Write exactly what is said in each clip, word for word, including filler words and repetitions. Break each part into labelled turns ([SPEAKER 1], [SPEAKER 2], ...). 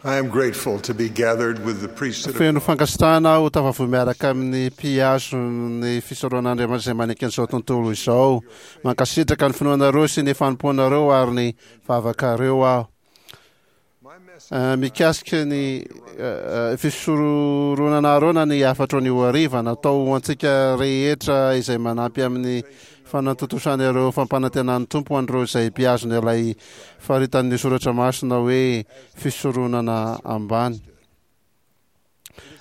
[SPEAKER 1] I am grateful to be gathered with the priesthood of
[SPEAKER 2] Feno fankasitrahana aho tafavory miaraka amin'ny mpihazo ny fisoronan'Andriamanitra izay manaiky an'izao tontolo izao. Mankasitraka ny finoanareo sy ny fanompoanareo ary ny vavakareo aho. Eh, mikasika ny eh, fisoronana Arona ny hafatro anio hariva natao ho antsika rehetra izay manampy amin'ny fanatontosana ireo fampanantenan'ny Tompo ho an'ireo izay mpihazona ilay faritan'ny soratra masina hoe fisoronana ambany.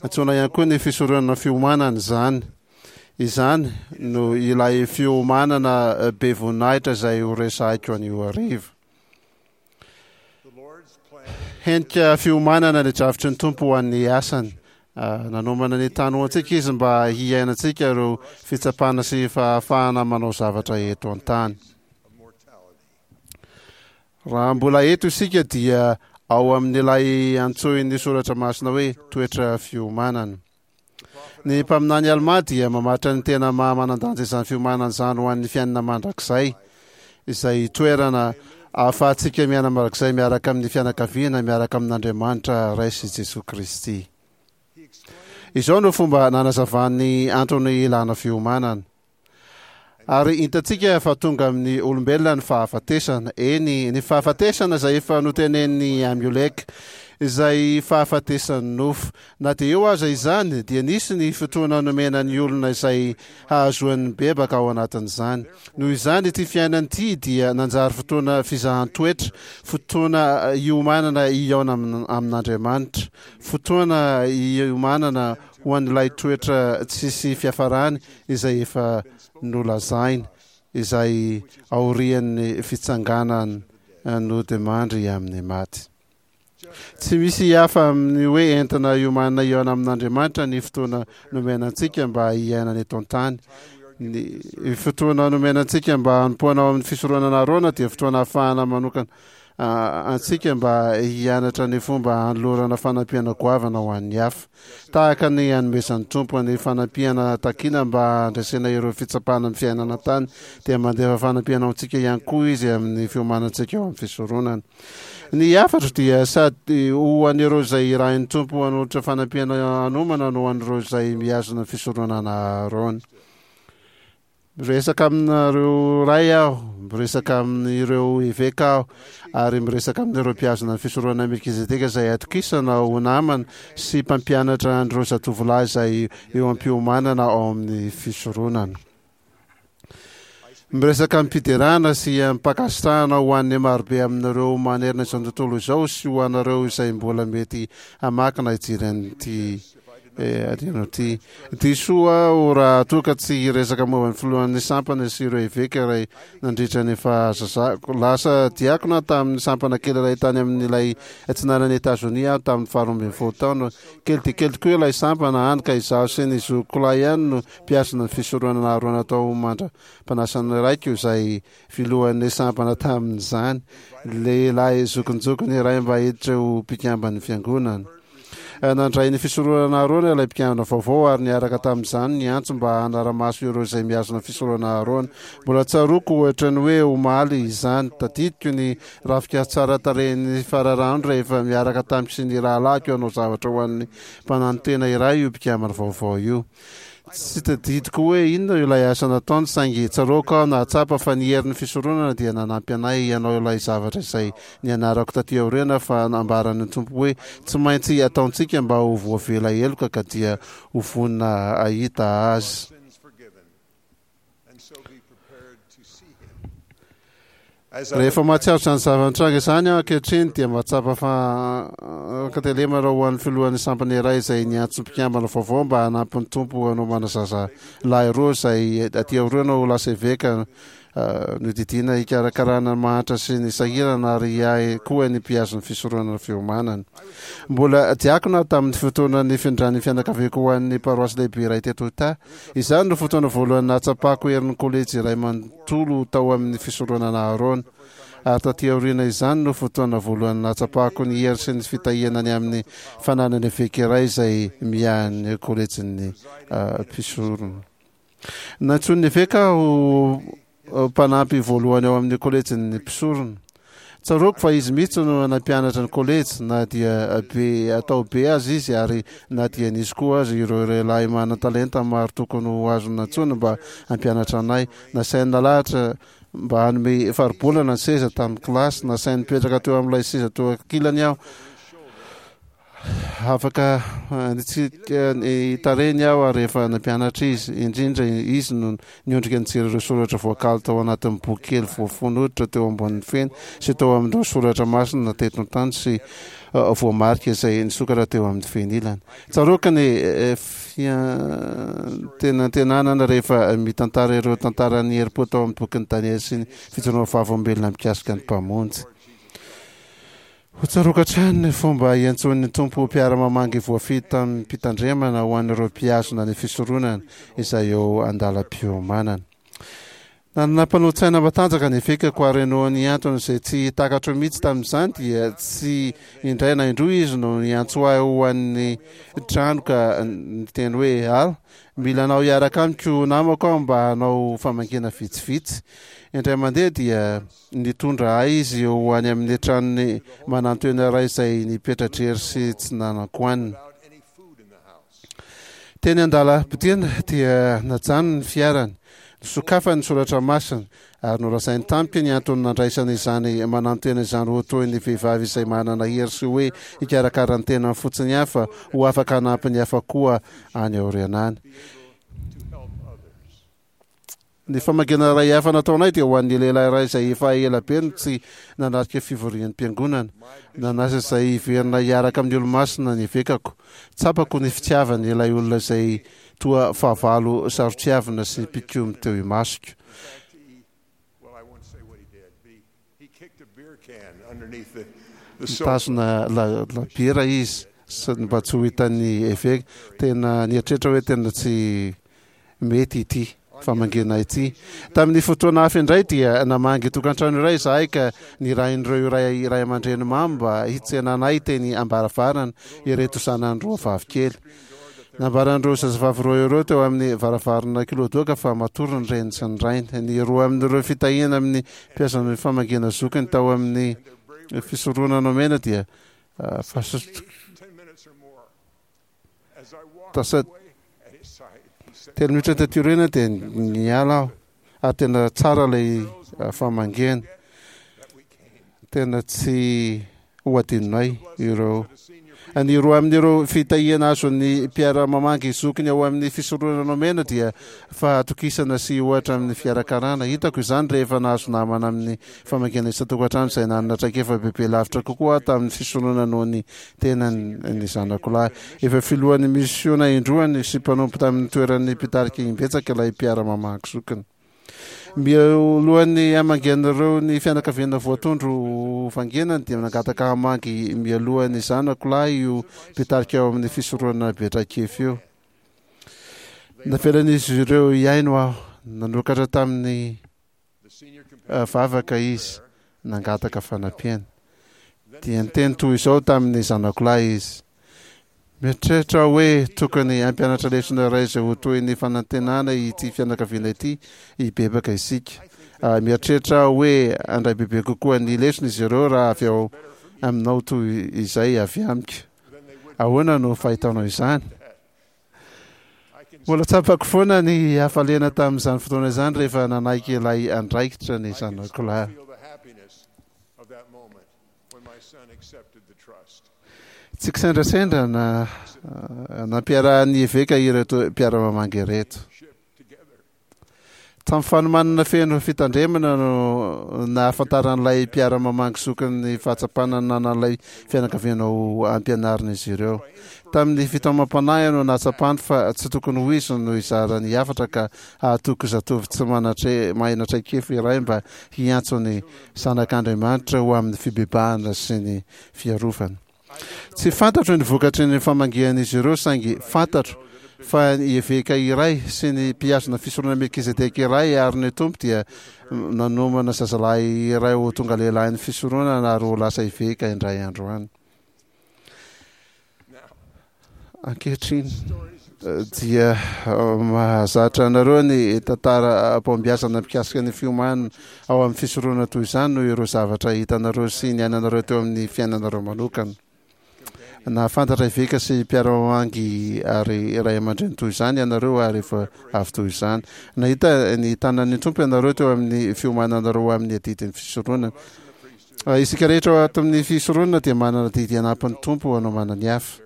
[SPEAKER 2] Antsoina ihany koa ny fisoronana fiomanana izany. Izany no ilay fiomanana be voninahitra izay ho resahiko anio hariva. Henika fiomanana ny drafitry ny Tompo ho an'ny asany. Ah, nanomana ny tany ho antsika izy mba hiainantsika ireo fitsapana sy fahafahana manao zavatra eto an-tany. Raha mbola eto isika dia ao amin'ilay antsoin'ny soratra masina hoe toetra fiomanana. Ny mpaminany Almà dia mamaritra ny tena maha manan-danja izany fiomanana izany ho an'ny fiainana mandrakizay, izay toerana ahafahantsika miaina mandrakizay miaraka amin'ny fianakaviana, miaraka amin'Andriamanitra Ray sy Jesoa Kristy. Izao no fomba nanazavany antony ilana fiomanana. Ary hitantsika fa tonga amin'ny olombelona ny fahafatesana, eny, ny fahafatesana izay efa notenenin'i Amioleka, izay fahafatesan'ny nofo. Na dia eo aza izany, dia nisy ny fotoana nomena ny olona izay hahazoany mibebaka ao anatin'izany. Noho izany, ity fiainana ity dia nanjary fotoana fizahan-toetra, fotoana hiomanana hihaona amin'Andriamanitra, fotoana hiomanana ho an'ilay toetra tsisy fiafarany izay efa nolazaina, izay aorian'ny fitsanganana nodimandry amin'ny maty. Tsy misy hafa amin'ny hoe entina hiomanana hihaona amin'Andriamanitra ny fotoana nomena antsika mba hiainana eto an-tany. Ny fotoana nomena antsika mba hanompoana ao amin'ny fisoronana Arona dia fotoana ahafahana manokana antsika mba hianatra ny fomba hanolorana fanampiana goavana ho an'ny hafa. Tahaka ny hanomezan'ny Tompo ny fanampiana takiana mba handresena ireo fitsapana amin'ny fiainana an-tany, dia mandefa fanampiana ho antsika ihany koa Izy amin'ny fiomanantsika ao amin'ny fisoronana. Ny hafatro dia sady ho an'ireo izay irahin'ny Tompo hanolotra fanampiana hanomana no ho an'ireo izay mihazona ny fisoronana Aharôna. Miresaka aminareo ray aho, miresaka amin'ireo eveka aho, ary miresaka amin'ireo mpihazona ny fisoronana Melkizedeka izay atokisana ho namana sy mpampianatra an'ireo zatovolahy izay eo am-piomanana ao amin'ny fisoronana. Miresaka amim-piderana sy amim-pankasitrahana ho an'ny marobe aminareo manerana izao tontolo izao sy ho anareo izay mbola mety hamaky na hijery an'ity adino ity. Diso aho raha toa ka tsy hiresaka momba ny filohan'ny sampana sy ireo eveka iray nandritra ny fahazazako. Lasa diakona tamin'ny sampana kely iray tany amin'ilay atsinanan'i Etazonia aho tamin'ny faharoa ambin'ny folo taona. Kely dia kely tokoa ilay sampana, hany ka izaho sy ny zokiko lahy ihany no mpiasana ny fisoronana Aharôna tao mandra-panasan'ny raiko izay filohan'ny sampana tamin'izany, lehilahy zokinjokiny iray mba hiditra ho mpikamban'ny fiangonana. Nandray ny fisoronana Aharôna ilay mpikambana vaovao ary niaraka tamin'izany ny antso mba hanara-maso ireo izay mihazona ny fisoronana Aharôna. Mbola tsaroako ohatra ny hoe omaly izany. Tadidiko ny rafika tsara tarehin'ny fararano rehefa miaraka tamiko sy ny rahalahiko hanao zavatra ho an'ny mpananotena iray io mpikambana vaovao io. Tsy tadidiko hoe inona ilay asa nataony, saingy tsaroako aho nahatsapa fa ny herin'ny fisoronana dia nanampy anay hanao ilay zavatra izay nianarako taty aoriana fa nambaran'ny Tompo hoe tsy maintsy ataontsika mba ho voavela heloka ka dia ho vonona hahita Azy. Rehefa mahatsiaro izany zava-nitranga izany aho ankehitriny dia mahatsapa fa ankatelemana ho an'ny filohan'ny sampana iray izay niantso mpikambana vaovao mba hanampy ny Tompo hanomana zaza lahy roa izay aty aoriana ho lasa eveka nodidiana hikarakarana ny mahantra sy ny sahirana ary hiahy koa ny mpihazo ny fisoronana fiomanana. Mbola diakona aho tamin'ny fotoana nifindran'ny fianakaviako ho an'ny paroasy lehibe iray teto Utah. Izany no fotoana voalohany nahatsapako herin'ny kolejy iray manontolo tao amin'ny fisoronana Aharôna. Ary taty aoriana izany no fotoana voalohany nahatsapako ny hery sy ny fitahiana ny amin'ny fananana eveka iray izay miahy ny kolejin'ny mpisorona. Nantsoin'ny eveka aho ho mpanampy voalohany ao amin'ny kolejin'ny mpisorona. Tsaroako fa izy mihitsy no nampianatra ny kolejy na dia be atao be aza izy, ary na dia nisy koa aza ireo lehilahy manan-talenta maro tokony ho azo nantsoina mba hampianatra anay. Nasainy nalahatra mba hanome faribolana ny seza tamin'ny kilasy. Nasainy nipetraka teo amin'ilay seza teo ankilany aho. Afaka nitsika ny tarehiny aho ary rehefa nampianatra izy, indrindra izy no niondrika nijery ireo soratra voakaly tao anatin'ny boky kely voafono hoditra teo ambonin'ny feny sy tao amin'ireo soratra masina teto an-tany sy voamarika izay nisokatra teo amin'ny fenilany. Tsaroako ny fiantenantenanana rehefa mitantara ireo tantaran'ny herim-po tao amin'ny bokin'i Daniela sy ny fijoroana vavolombelona mikasika ny Mpamonjy. Ho tsaroako hatrany ny fomba iantsoan'ny Tompo mpiara-mamangy voafidy tamim-pitandremana ho an'ireo mpihazona ny fisoronana izay eo an-dalam-piomanana. Nanana mpanolo-tsaina matanjaka ny evekako, ary noho ny antony izay tsy takatro mihitsy tamin'izany dia tsy indray na indroa izy no niantso ahy ho an'ny trano ka niteny hoe: "Al, mila anao hiaraka amiko namako aho mba hanao famangiana vitsivitsy." Indray mandeha dia nitondra ahy izy ho any amin'ny tranony manantoena iray izay nipetra-drery sy tsy nanan-kohanina. Teny an-dalam-podiana dia najanony ny fiarany, nisokafany ny soratra masina, ary nolazainy tamiko ny antony nandraisana izany manantena izany ho toy ny vehivavy izay manana hery sy hoe hikarakara ny tenany fotsiny ihany fa ho afaka hanampy ny hafa koa any aoriana any. Ny famangiana iray hafa nataonay dia ho an'ny lehilahy iray izay efa ela be no tsy nanatrika fivoriam-piangonana. Nanasa izay hiverina hiaraka amin'ny olo-masina ny evekako. Tsapako ny fitiavany ilay olona izay toa fahavalo saro-tiavina sy mpikomy teo imasoko. Nitazona labiera izy mba tsy ho hitan'ny eveka. Tena nieritreritra hoe tena tsy mety ity famangiana ity. Tamin'ny fotoana hafa indray dia namangy tokantrano iray izahay ka nirahin'ireo iray ray aman-dreny mamo mba hitsena anay teny am-baravarana ireto zanany roa vavy kely. Nambaran'ireo zazavavy roa ireo teo amin'ny varavarana kiloadoaka fa matory ny reniny sy ny rainy. Ny roa amin'ireo fitahiana amin'ny mpiazan'ny famangiana zokiny tao amin'ny fisoronana nomena dia Tasa telo minitra taty aoriana dia niala aho, ary tena tsara ilay famangiana. Tena tsy ho adinonay ireo. Ny roa amin'ireo fitahiana azon'ny mpiara-mamangy zokiny ao amin'ny fisoronana nomena dia fahatokisana sy ohatra amin'ny fikarakarana. Hitako izany rehefa nahazo namana amin'ny famangiana isan-tokantrano izay nanana traikefa bebe lavitra kokoa aho tamin'ny fisoronana noho ny tenany ny zanako lahy. Efa filohan'ny misiona indroany sy mpanompo tamin'ny toeran'ny mpitarika imbetsaka ilay mpiara-mamaky zokiny. Mialohan'ny hamangian'ireo ny fianakaviana voatondro ho vangenany dia nangataka hamangy mialohan'ny zanako lahy io mpitarika ao amin'ny fisoronana be traikefa io. Navelan'izy ireo hihaino aho. Nanokatra tamin'ny vavaka izy, nangataka fanampiana. Dia niteny toy izao tamin'ny zanako lahy izy: "Mieritreritra aho hoe tokony hampianatra lesona iray izay ho toy ny fanantenana ity fianakaviana ity hibebaka isika. Mieritreritra aho hoe handray bebe kokoa ny lesona izy ireo raha avy ao aminao toy izay avy amiko. Ahoana no fahitanao izany?" Mbola tsapako foana ny hafaliana tamin'izany fotoana izany rehefa nanaiky ilay andraikitra ny zanako lahy. Tsy kisendrasendra na nampiarahan'ny eveka ireto mpiara-mamangy ireto. Tamin'ny fanomanana feno fitandremana no nahafantaran'ilay mpiara-mamangy zokiny ny fahatsapana nanan'ilay fianakaviana ho ampianarin'izy ireo. Tamin'ny fitaomam-panahy no nahatsapany fa tsy tokony ho izy no hizara ny hafatra ka hahatoky zatovo tsy manatre mahina traikefa iray mba hiantso ny zanak'Andriamanitra ho amin'ny fibebahana sy ny fiarovana. Tsy fantatro ny vokatry ny famangian'izy ireo, saingy fantatro fa ny eveka iray sy ny mpihazona fisoronana Melkizedeka iray ary ny Tompo dia nanomana zazalahy iray ho tonga lehilahin'ny fisoronana ary ho lasa eveka indray andro any. Ankehitriny, Dia mahazatra anareo ny tantara-pahombiazana mikasika ny fiomanana ao amin'ny fisoronana toy izany noho ireo zavatra hitanareo sy niainanareo teo amin'ny fiainanareo manokana. Nahafantatra eveka sy mpiara-mamangy ary ray aman-dreny toy izany ianareo ary efa avy toy izany. Nahita ny tanan'ny Tompo ianareo teo amin'ny fiomananareo ho amin'ny adidin'ny fisoronana. Isika rehetra ato amin'ny fisoronana dia manana adidy hanampy ny Tompo hanomana ny hafa.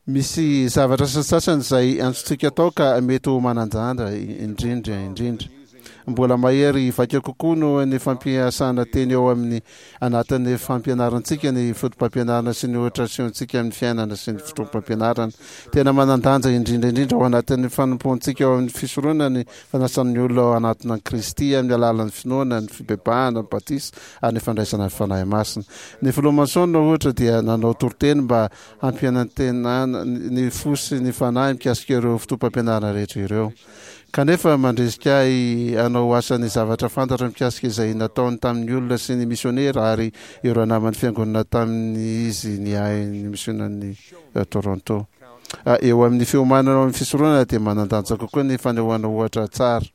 [SPEAKER 2] Misy zavatra sasantsasany izay antsontsika atao ka mety ho manan-danja indrindra indrindra. Mbola mahery vaika kokoa noho ny fampiasana teny ao amin'ny anatin'ny fampianarantsika ny fotopampianarana sy ny ohatra asehontsika amin'ny fiainana sy ny fotoam-pampianarana. Tena manan-danja indrindra indrindra ao anatin'ny fanompoantsika ao amin'ny fisoronana ny fanasan'ny olona ao anatina an'i Kristy amin'ny alalan'ny finoana, ny fibebahana, ny batisa ary ny fandraisana ny Fanahy Masina. Ny filoha Monson ohatra dia nanao toriteny mba hampianantenana ny fo sy ny fanahy mikasika ireo fotoam-pampianarana rehetra ireo. Kanefa mandrisika ahy hanao asa ny zavatra fantatra mikasika izay nataony tamin'ny olona sy ny misionera ary ireo naman'ny fiangonana tamin'izy niahy ny misionan'i Toronto. Eo amin'ny fiomanana ao amin'ny fisoronana dia manan-danja kokoa ny fanehoana ohatra tsara.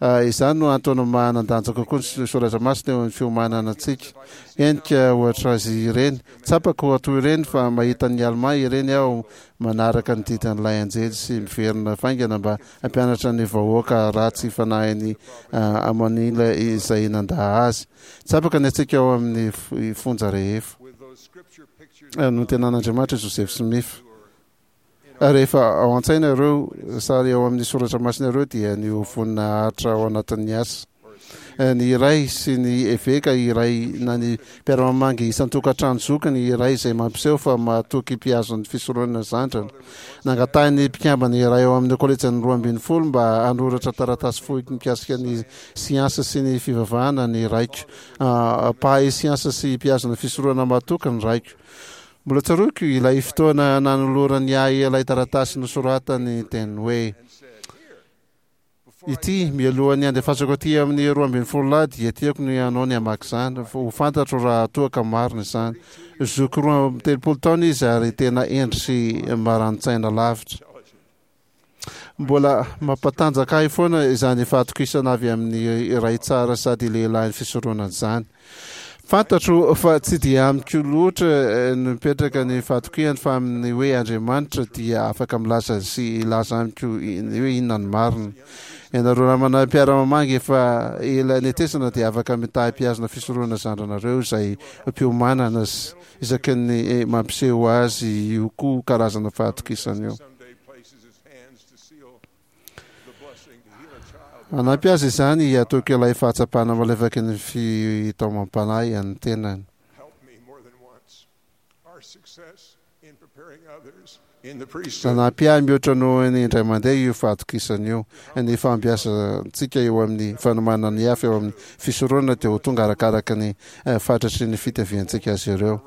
[SPEAKER 2] Izany no antony manan-danja kokoa ny soratra masina eo amin'ny fiomanana antsika. Henika ohatra azy ireny. Tsapako toy ireny fa mahita ny Almà ireny aho manaraka ny didin'ilay anjely sy miverina faingana mba hampianatra ny vahoaka ratsy fanahin'i Amonila izay nandà azy. Tsapako ny antsika ao amin'ny fonja rehefa nontenan'Andriamanitra Joseph Smith. Rehefa ao an-tsaina ireo sary ao amin'ny soratra masina ireo dia ny ho vonona haharitra ao anatin'ny asa. Ny iray sy ny eveka iray na ny mpiara-mamangy isan-tokantrano zokiny iray izay mampiseho fa mahatoky mpihazon'ny fisoronana zandrana. Nangatahin'ny mpikambana iray ao amin'ny kolejin'ny roa ambin'ny folo mba hanoratra taratasy fohy mikasika ny siansa sy ny fivavahana ny raiko. Mpahay siansa sy mpihazona fisoronana mahatoky ny raiko. Mbola tsaroako ilay fotoana nanolorany ahy ilay taratasy nosoratany teny hoe: Ity, mialohan'ny andefasako aty amin'ny roa ambin'ny folo lahy dia tiako ny hanao ny hamaky izany, ho fantatro raha toa ka marina izany. Zoky roa amby telopolo taona izy ary tena hendry sy marani-tsaina lavitra. Mbola mampatanjaka ahy foana izany fahatokisana avy amin'ny ray tsara sady lehilahin'ny fisoronana izany. Fantatro fa tsy dia amiko loatra no mipetraka ny fahatokiany fa amin'ny hoe Andriamanitra dia afaka milaza sy hilaza amiko ny hoe inona ny marina. Ianareo namana mpiara-mamangy efa ela netesana dia afaka mitahy mpihazona fisoronana zandranareo izay mpiomanana sy isaky ny mampiseho azy io koa karazana fahatokisana io. Hanampy azy izany hatoky ilay fahatsapana malefaky ny fitaomam-panahy an'ny tenany. Nanampy ahy mihoatra noho ny indray mandeha io fahatokisana io. Ny fahombiazantsika eo amin'ny fanomanana ny hafa eo amin'ny fisoronana dia ho tonga arakaraka ny fatratry ny fitiaviantsika azy ireo.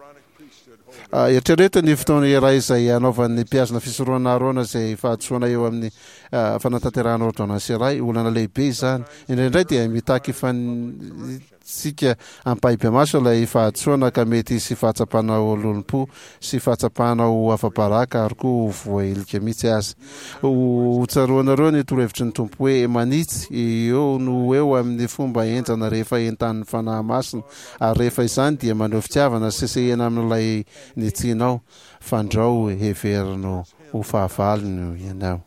[SPEAKER 2] Eritrereto ny fotoana iray izay hanaovan'ny mpihazona fisoronana Arona izay fahadisoana eo amin'ny fanatanterahana ôrdônansy iray. Olana lehibe izany. Indraindray dia mitaky fanitsika ampahibemaso ilay fahadisoana ka mety hisy fahatsapana ho lolompo sy fahatsapana ho afa-baraka ary koa ho voahilika mihitsy aza. Ho tsaroanareo ny torohevitry ny Tompo hoe manitsy eo no ho eo amin'ny fomba henjana rehefa entanin'ny Fanahy Masina ary rehefa izany dia maneho fitiavana sesehena amin'ilay nitsianao, fandrao heverino ho fahavalony ianao.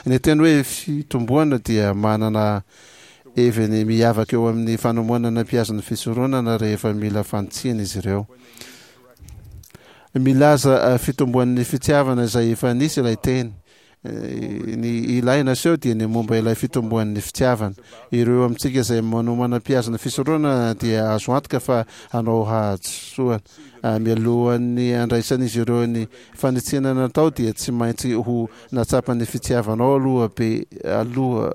[SPEAKER 2] Ny teny hoe fitomboana dia manana heviny miavaka eo amin'ny fanomanana mpihazon'ny fisoronana rehefa mila fanitsiana izy ireo. Milaza fitomboan'ny fitiavana izay efa nisy ilay teny. Ny ilaina aseho dia ny momba ilay fitomboan'ny fitiavana. Ireo amintsika izay manomana mpihazona fisoronana dia azo antoka fa hanao hadisoana. Mialohan'ny handraisan'izy ireo ny fanitsiana natao dia tsy maintsy ho nahatsapa ny fitiavanao aloha be aloha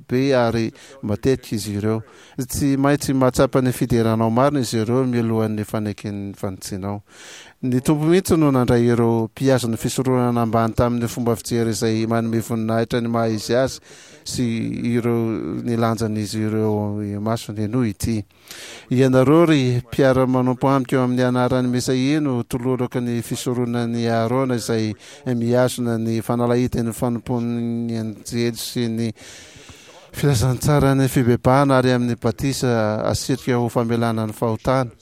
[SPEAKER 2] be ary matetika izy ireo. Tsy maintsy mahatsapa ny fideranao marina izy ireo mialohan'ny faneken'ny fanitsianao. Ny Tompo mihitsy no nandray ireo mpihazona fisoronana ambany tamin'ny fomba fijery izay manome voninahitra ny maha izy azy sy ireo ny lanjan'izy ireo imasony. Henoy ity: Ianareo ry mpiara-manompo amiko, eo amin'ny anaran'ny Mesaia no tolorako ny fisoronan'i Aharôna izay mihazona ny fanalahidin'ny fanompoan'ny anjely sy ny filazantsaran'ny fibebahana ary amin'ny batisa asirika ho famelana ny fahotana,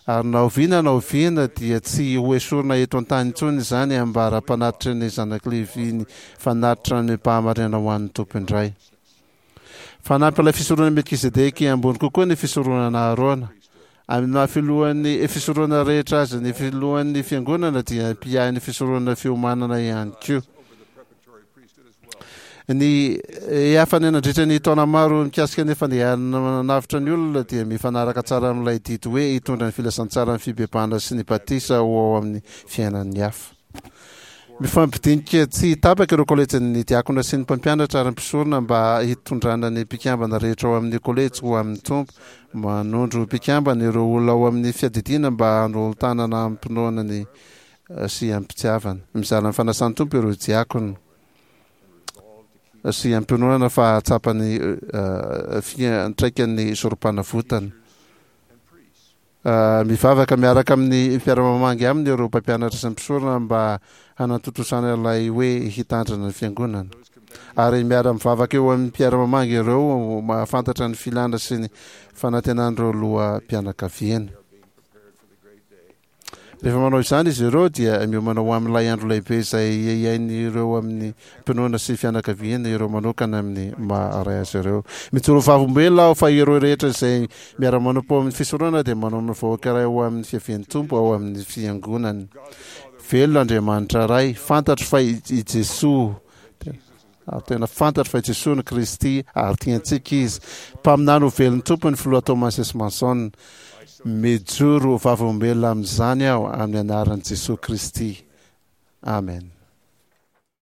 [SPEAKER 2] ary na oviana na oviana dia tsy ho esorina eto an-tany intsony izany ambara-panatitry ny zanak'i Levy ny fanatitra amim-pahamarinana ho an'ny Tompo indray. Fanampy ilay fisoronana Melkizedeky, ambony kokoa ny fisoronana Aharôna. Amin'ny maha filohan'ny fisoronana rehetra azy, ny filohan'ny fiangonana dia mpiahy ny fisoronana fiomanana ihany koa. Ny hafany nandritra ny taona maro mikasika ny fandehanana manavotra ny olona dia mifanaraka tsara amin'ilay didy hoe hitondra ny filazantsaran'ny fibebahana sy ny batisa ho ao amin'ny fiainan'ny hafa. Mifampidinika tsy tapaka ireo kolejin'ny diakona sy ny mpampianatra ary ny mpisorona mba hitondrana ny mpikambana rehetra ao amin'ny kolejy ho amin'ny Tompo. Manondro mpikambana ireo olona ao amin'ny fiadidiana mba hanolo-tanana amim-pinoana ny sy amim-pitiavana. Mizara ny fanasan'ny Tompo ireo diakona sy am-pinoana fa hahatsapa ny fiantraikan'ny sorom-panavotana. Mivavaka miaraka amin'ny mpiara-mamangy aminy ireo mpampianatra sy ny mpisorona mba hanatontosana ilay hoe hitandrina ny fiangonana. Ary miara-mivavaka eo amin'ny mpiara-mamangy ireo mahafantatra ny filana sy ny fanantenan'ireo loham-pianakaviana. Rehefa manao izany izy ireo dia miomana ho amin'ilay andro lehibe izay hiain'ireo amin'ny mpinoana sy fianakaviana ireo manokana amin'ny maha ray azy ireo. Mijoro vavolombelona aho fa ireo rehetra izay miara-manompo ao amin'ny fisoronana dia manao ny vahoaka iray ho amin'ny fiavian'ny Tompo ao amin'ny fiangonany. Velona Andriamanitra Ray, fantatro fa i Jesoa Ary tena fantatro fa i Jesoa no Kristy ary tiantsika Izy. Mpaminany ho velon'ny Tompo ny Filoha Thomas S. Monson. Mijoro ho vavolombelona amin'izany aho amin'ny anaran'i Jesoa Kristy. Amen.